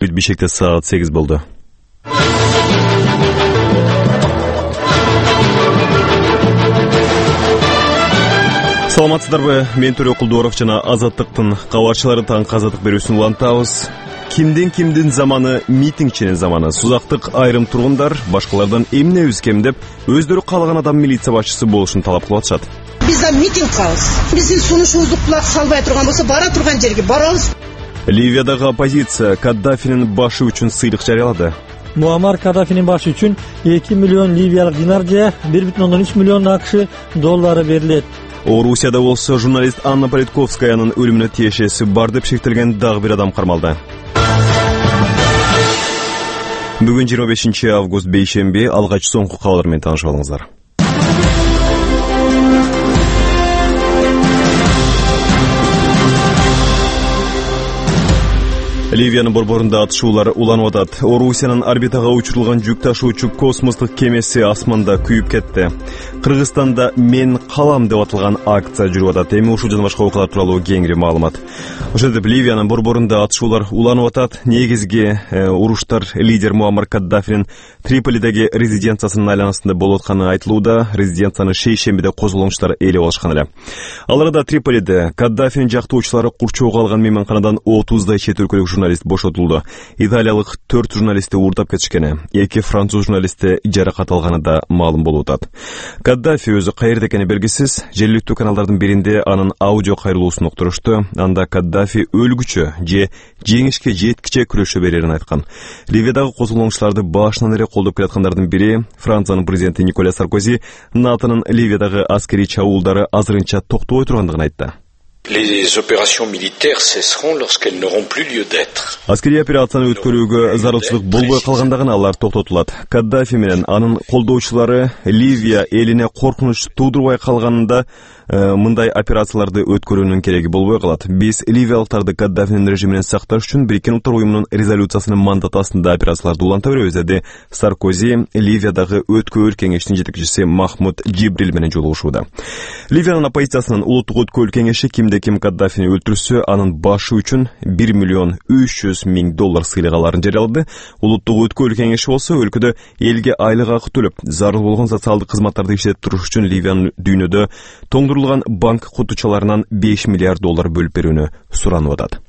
Бишкекте саат 8 болду. Саламатсыздарбы? Мен Төрө Кулдуаров жана Азаттыктын кабарчылары таңкы азаттык берүүсүн улантабыз. Кимдин заманы митингчинин заманы. Сузактык айрым тургундар башкалардан эмнебиз кем деп өздөрү каалаган адам милиция башчысы болушун талап кылып атышат. Биз да митинг кылабыз. Биздин сунушубузду кулак салбай турган болсо, бара турган жерге барабыз. Ливиядагы оппозиция Каддафинин башы үчүн сыйлык жарыялады. Муаммар Каддафинин башы үчүн 2 миллион ливиялык динар же 1,3 миллион акш доллары берилет. Орусияда болсо журналист Анна Политковскаянын өлүмүнө тиешеси бар деп шектелген дагы бир адам кармалды. Бүгүн 25 август бейшемби, алгач соңку кабарлар менен таанышып алыңыздар. Ливиянын борборунда атышуулар уланып атат. Орусиянын орбитага учурулган жүк ташуучу космостук кемеси асманда күйүп кетти. Кыргызстанда "Мен калам" деп аталган акция жүрүп атат. Эми ушул жана башка окуялар тууралуу кеңири маалымат. Ошентип Ливиянын борборунда атышуулар уланып атат. Негизги уруштар лидер Муаммар Каддафинин Триполидеги резиденциясынын айланасында болуп атканы айтылууда. Резиденцияны шейшембиде козголоңчулар ээлеп алышкан эле. Ал арада Триполиде Каддафинин жактоочулары курчоого алган мейманканадан 30дай чет өлкөлүк журналист бошотулду. Италиялык 4 журналисти уурдап кетишкени, 2 француз журналисти жаракат алганы да маалым болуп атат. Каддафи өзү каерде экени белгисиз. Жергиликтүү каналдардын биринде анын аудио кайрылуусун уктурушту. Анда Каддафи өлгүчө же жеңишке жеткиче күрөшө берерин айткан. Ливиядагы козголоңчуларды башынан эле колдоп келаткандардын бири Франциянын президенти Николя Саркози НАТОнун Ливиядагы аскерий чабуулдары азырынча токтобой тургандыгын айтты. Les opérations militaires cesseront lorsqu'elles n'auront plus lieu d'être. Аскерий операцияны өткөрүүгө зарылчылык болбой калгандагына алар токтотулат. Каддафи менен анын колдоочулары Ливия элине коркунуч туудурбай калганында мындай операцияларды өткөрүүнүн кереги болбой калат. Биз ливиялыктарды Каддафинин режиминен сакташ үчүн Бириккен Улуттар уюмунун резолюциясынын мандаты астында операцияларды уланта беребиз, деди Саркози Ливиядагы өткөрүү кеңештин жетекчиси Махмуд Джибрил менен жолугушууда. Ливиянын оппозициясынын улуттук өткөрүү кеңеши ким Каддафини өлтүрсө, анын башы үчүн 1 миллион 300 миң доллар сыйлык аларын жарыялады. Улуттук өткөрүү кеңеши болсо өлкөдө элге айлык акы төлөп, зарыл болгон социалдык кызматтарды иштетип туруш үчүн Ливиянын дүйнөдө тоңдурулган банк кутучаларынан 5 миллиард доллар бөлүп берүүнү суранып атат.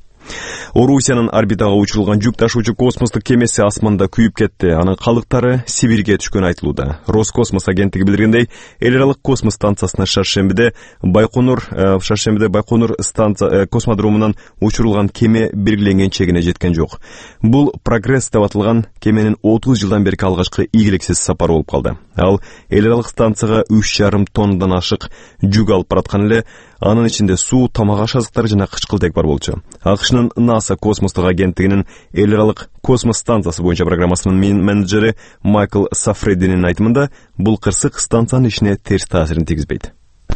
Орусиянын орбитага учурулган жүк ташуучу космостук кемеси асманда күйүп кетти. Анын калдыктары Сибирге түшкөнү айтылууда. Роскосмос агенттиги билдиргендей, эл аралык космос станциясына Шаршембиде Байконур станция космодромунан учурулган кеме белгиленген чегине жеткен жок. Бул Прогресс деп аталган кеменин 30 жылдан берки алгачкы ийгиликсиз сапары болуп калды. Ал эл аралык станцияга 3,5 тоннадан ашык жүк алып бараткан эле. Анын ичинде суу, тамак аш азыктары жана кычкылтек бар болчу. АКШнын НАСА космостук агенттигинин эл аралык космос станциясы боюнча программасынын менеджери Майкл Сафрединин айтымында, бул кырсык станциянын ишине терс таасирин тийгизбейт.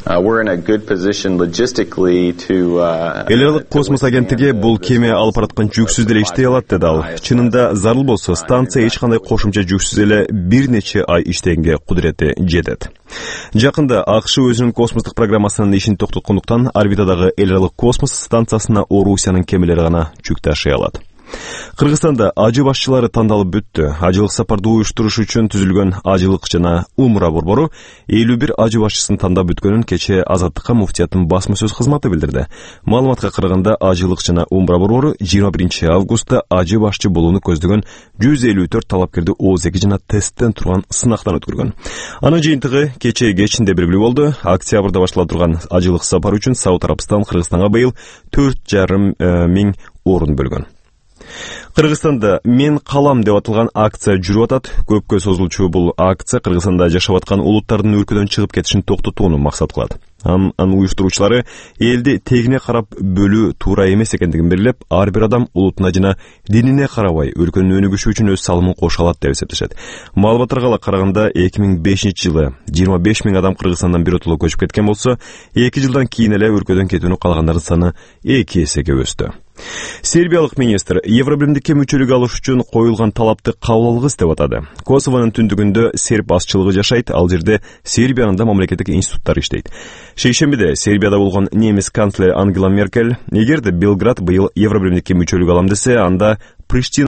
We're in a good position logistically to Эл аралык космос агенттиги бул кеме алып бараткан жүксүз деле иштей алат, деди ал. Чынында зарыл болсо, станция эч кандай кошумча жүксүз эле бир нече ай иштегенге кудурети жетет. Жакында АКШ өзүнүн космостук программасынын ишин токтоткондуктан орбитадагы эл аралык космос станциясына Орусиянын кемелери гана жүк ташый алат. Кыргызстанда ажы башчылары тандалып бүттү. Ажылык сапарды уюштуруш үчүн түзүлгөн ажылык жана умра борбору 51 ажы башчысын тандап бүткөнүн кече Азаттыкка муфтияттын басма сөз кызматы билдирди. Маалыматка караганда, ажылык жана умра борбору 21 августта ажы башчы болууну көздөгөн 154 талапкерди ОЗЕК жана тесттен турган сынактан өткөргөн. Анын жыйынтыгы кече кечинде белгилүү болду. Октябрда баштала турган ажылык сапар үчүн Сауд Арабстан Кыргызстанга быйыл 4,5 миң орун бөлгөн. Кыргызстанда "Мен калам" деп аталган акция жүрүп атат. Көпкө созулчу бул акция Кыргызстанда жашап аткан улуттардын өлкөдөн чыгып кетишин токтотууну максат кылат. Анын уюштуруучулары элди тегине карап бөлүү туура эмес экендигин белгилеп, ар бир адам улутуна жана динине карабай өлкөнүн өнүгүшү үчүн өз салымын кошо алат деп эсептешет. Маалыматтарга караганда 2005 жылы 25 миң адам Кыргызстандан биротоло көчүп кеткен болсо, 2 жылдан кийин эле өлкөдөн кетүүнү каалагандардын саны 2 эсеге өстү. Сербиялык министр Евробиримдикке мүчөлүк алыш үчүн коюлган талапты кабыл алгыс деп атады. Косовонун түндүгүндө серб азчылыгы жашайт, ал жерде Сербиянын да мамлекеттик институттары иштейт. Шейшембиде Сербияда болгон немис канцлери Ангела Меркель, эгерде Белград быйыл Евробиримдикке мүчөлүк алам десе, анда Приштина